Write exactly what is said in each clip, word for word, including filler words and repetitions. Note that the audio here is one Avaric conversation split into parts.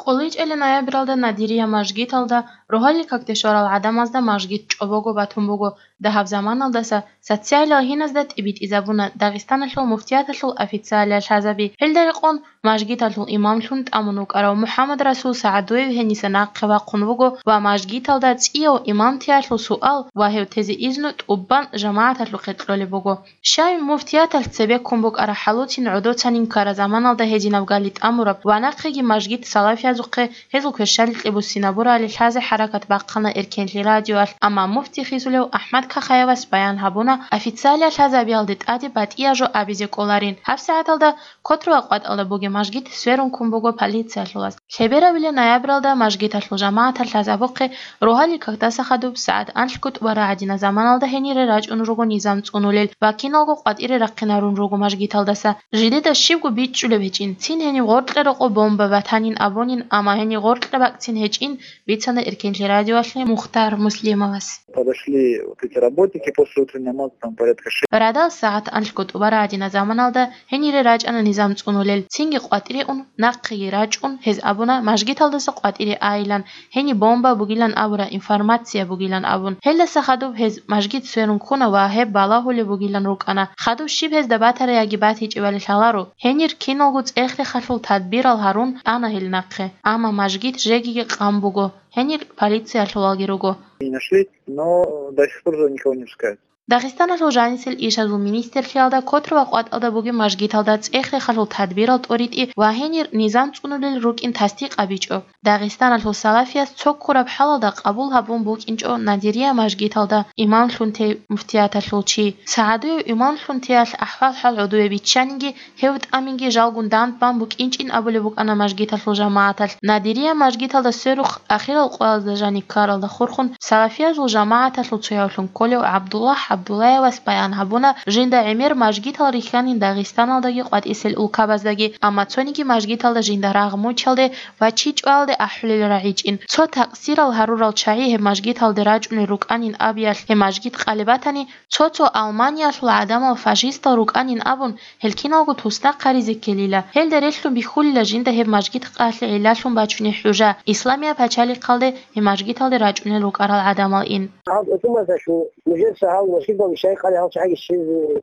КъуличӀелин ноябралда Надирия мажгиталда рогьалил какде щварал гӀадамазда мажгит чӀобого батун буго. Дагьаб заманалдаса социалиял гьиназда тӀибитӀизабуна Дагъистаналъул муфтияталъул официалиял лъазаби. Гьелда рекъон мажгиталъул имамлъун тӀамун вукӀарав МухӀаммад Расул СагӀадуев гьениса нахъе вахъун вуго ва мажгиталда цӀияв имамтиялъул суал ва гьев тезе изну тӀубан жамагӀаталъухъе кьолеб буго. Щай муфтияталъ цебеккун букӀараб хӀалуцин гӀодоцанин ккараб заманалда гьединаб гали тӀамураб ва нахъеги мажгит салафиязухъе гьезул кверщаликье буссинабурали лъазе хӀаракат бахъана Эркенлъи радиоялъ, амма муфти хисулев АхӀмад Кахаевас баян гьабуна, официалиял лъазабиялде тӀаде батӀияб жо абизе кӀоларин. ГьабсагӀаталда Котруба къватӀалда бугеб мажгит сверун ккун буго полициялъулаз. Лъеберабилеб ноябралда мажгиталъул жамагӀаталъ лъазабухъе рогьалил какдаса хадуб сагӀат анлъго тӀубараб гӀадинаб заманалда гьенире рачӀун руго низам цӀунулел ва киналго къватӀире рахъинарун руго мажгиталдаса. Жидеда щибго бичӀчӀулеб гьечӀин, цин гьениб гъоркье рокъоб бомба батанин абунин, амма гьениб гъоркье бакӀцин гьечӀин, бицана Эркенлъи радиоялъе Мухтар Муслимовас. Подошли вот эти работники после утренней намаза, там порядка шесть. Радал сагӀат анлъго тӀубараб гӀадинаб заманалда гьенире рачӀана низам цӀунулел, цинги къватӀире ун, нахъеги рачӀун, гьез абуна, мажгиталдаса къватӀире айилан, гьениб бомба бугилан абураб информация бугилан абун. Гьелдаса хадуб гьез мажгит сверун ккуна ва гьеб балагьулеб бугилан рукӀана. Хадуб щиб гьезда батараяги батичӀебали лъаларо. Гьенир киналго цӀех-рехалъул тадбирал гьарун ана гьел нахъе. Амма мажгит жегиги къан буго. Гьенир полициялъулалги руго. Не нашли, но до сих пор никого не пускают. Дагъистаналъул жанисел ишазул министрлъиялда Котруба къватӀалда бугеб мажгиталда цӀех-рехалъул тадбирал тӀоритӀи ва гьенир низам цӀунулел рукӀин тасдикъ абичӀо. Дагъистаналъул салафияс цо ккураб хӀалалда къабул гьабун букӀинчӀо Надирия мажгиталда имамлъун тей муфтияталъул чи. СагӀадуев имамлъун теялъ ахӀвал-хӀал гӀодове биччаниги, гьев тӀаминги жалгун дандбан букӀинчӀин абулеб букӀана мажгиталъул жамагӀаталъ. Надирия мажгиталда сверухъ ахирал къоялда жаниб ккаралда хурхун, салафиязул жамагӀаталъул цоявлъун кколев ГӀабдуллагь ГӀабдуллаевас баян гьабуна, жинда гӀемер мажгитал рихьанин Дагъистаналдаги къватӀисел улкабаздаги, амма цониги мажгиталда жинда рагъ мучалде ва чи чӀвалде ахӀулел рагӀичӀин. Цо такъсирал гьарурал чагӀи гьеб мажгиталде рачӀунел рукӀанин абиялъ гьеб мажгит къалеб батани, цо-цо Алманиялъул гӀадамал фашистал рукӀанин абун, гьел киналго туснахъ гьаризе ккелила. Гьелда релълъун бихьулила жинда гьеб мажгит къалъе гӀиллалъун бачунеб хӀужа, Исламияб пачалихъалде гьеб мажгиталде рачӀунел рукӀарал гӀадамал ин. Гьаб гьукуматалъул нужеца гьав мажгиталде щай къалеб гьал чагӀи щизе,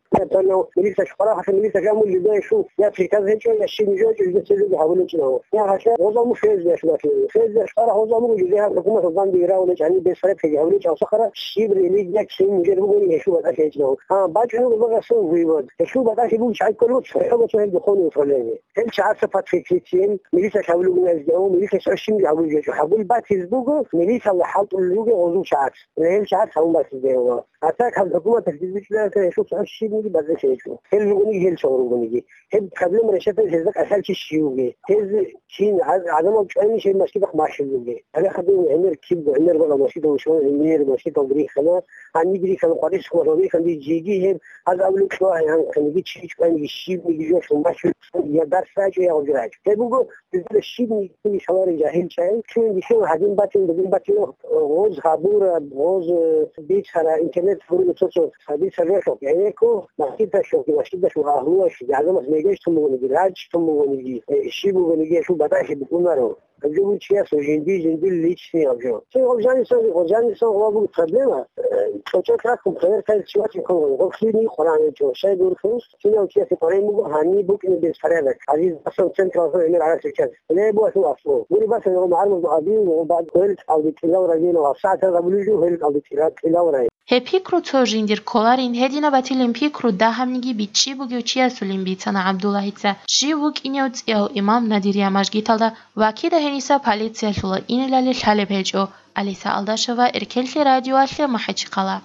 милицаялъ къварагьалъе милицаялъ амулли доящул я приказ гьечӀо, я щиб нужеца жидеца гьабулечӀо. Я гьалъа гъоза мухь гьезде яшулафи. Гьезде яшулара гъоза мугу жидеян хӀукуматалдан дигравулечӀани бес репеги гьавулечӀ алсахара щиб религия кин мужер бугони гьелъул батӀалъи гьечӀо. Гьа, бачӀунеб багасул вывод. Гьелъул батӀалъи бугич гӀайкколев цохӀо бацо гьел духовное управление. Гьел чагӀаца под прикрытием милицаялъ гьавулугуна гьезде, о, милицаялъ щиб гьавулеб гьечӀо. Гьабул батиз буго, милицаялъ хӀалтӀулел руго гъозул чагӀац. Гьел чагӀац гьавун батизе гьева. Гьатак гьаб хӀукуматалъ дидбичӀлараса гьелъул цохӀо щибниги база гьечӀо. Гьел ругониги, гьел цо ругониги. Гьеб проблема решатайзе гьезда кӀалъал чи щивги. Гьез чин гӀаз-, гӀадамал чӀвайнищ гьеб мажгитахъ бахъизеги. Гьале хадув гӀемер киб гӀемер бала мажгитал щван, гӀемер мажгитал бирихьана, гьаниб бирихьана, къварилъ хъван бирихьана, жеги гьеб гьаз абулеб кьвагӀи гьанкъниги чи чӀвайниги щибниги жо лъун бахъизеги я дарс рачӀо, я гъоги рачӀо. Гьеб буго, гьезда щибниги кколи лъаларел жагьил чагӀи, чуян бихьула гьадин батин, бугин батин, гъоз гьабура, гъоз, э, бицара, интернет гьабура цо-цо. Гьадин цадахъ гӀенекко, мажгиталъухъги, мажгиталъул агьлуялъги, гӀадамаз мегеж тун бугониги, рачӀ тун бугониги, э, щиб бугониги, гьелъул батӀалъи букӀунаро. Гьаб жо буго чиясул жинди-жиндир личный гьаб жо. Цо гъаб жанисан, гъаб жанисан гъаб буго проблема. Э, цо-цо рахъун проверкаялъ чи вачӀин ккола, гъаб лъилни Къуръан гьечӀо, щай гурхӀун, кинав чиясе Къуръан буго, гьаниб букӀине беспорядок. Гьадин, асан централазул гӀемер гӀарацел час. Лебуалъул аслу. Гури басан гъаб гӀармузул гьадин, гъаб хвел кӀалдитӀилал районал, сагӀатал гъабулел жо хвел кӀалдитӀилал район. Гьеб пикру цо жиндир кколарин, гьединаб батилин пикру дагьабниги бичӀчӀи бугев чиясулин бицана ГӀабдуллагьица. Жив вукӀинев цӀияв имам Надирия мажгиталда ва кида гьениса полициялъула инелали лъалеб гьечӀо. Алиса Алдашева, Эркенлъи радиоялъе, МахӀачхъала.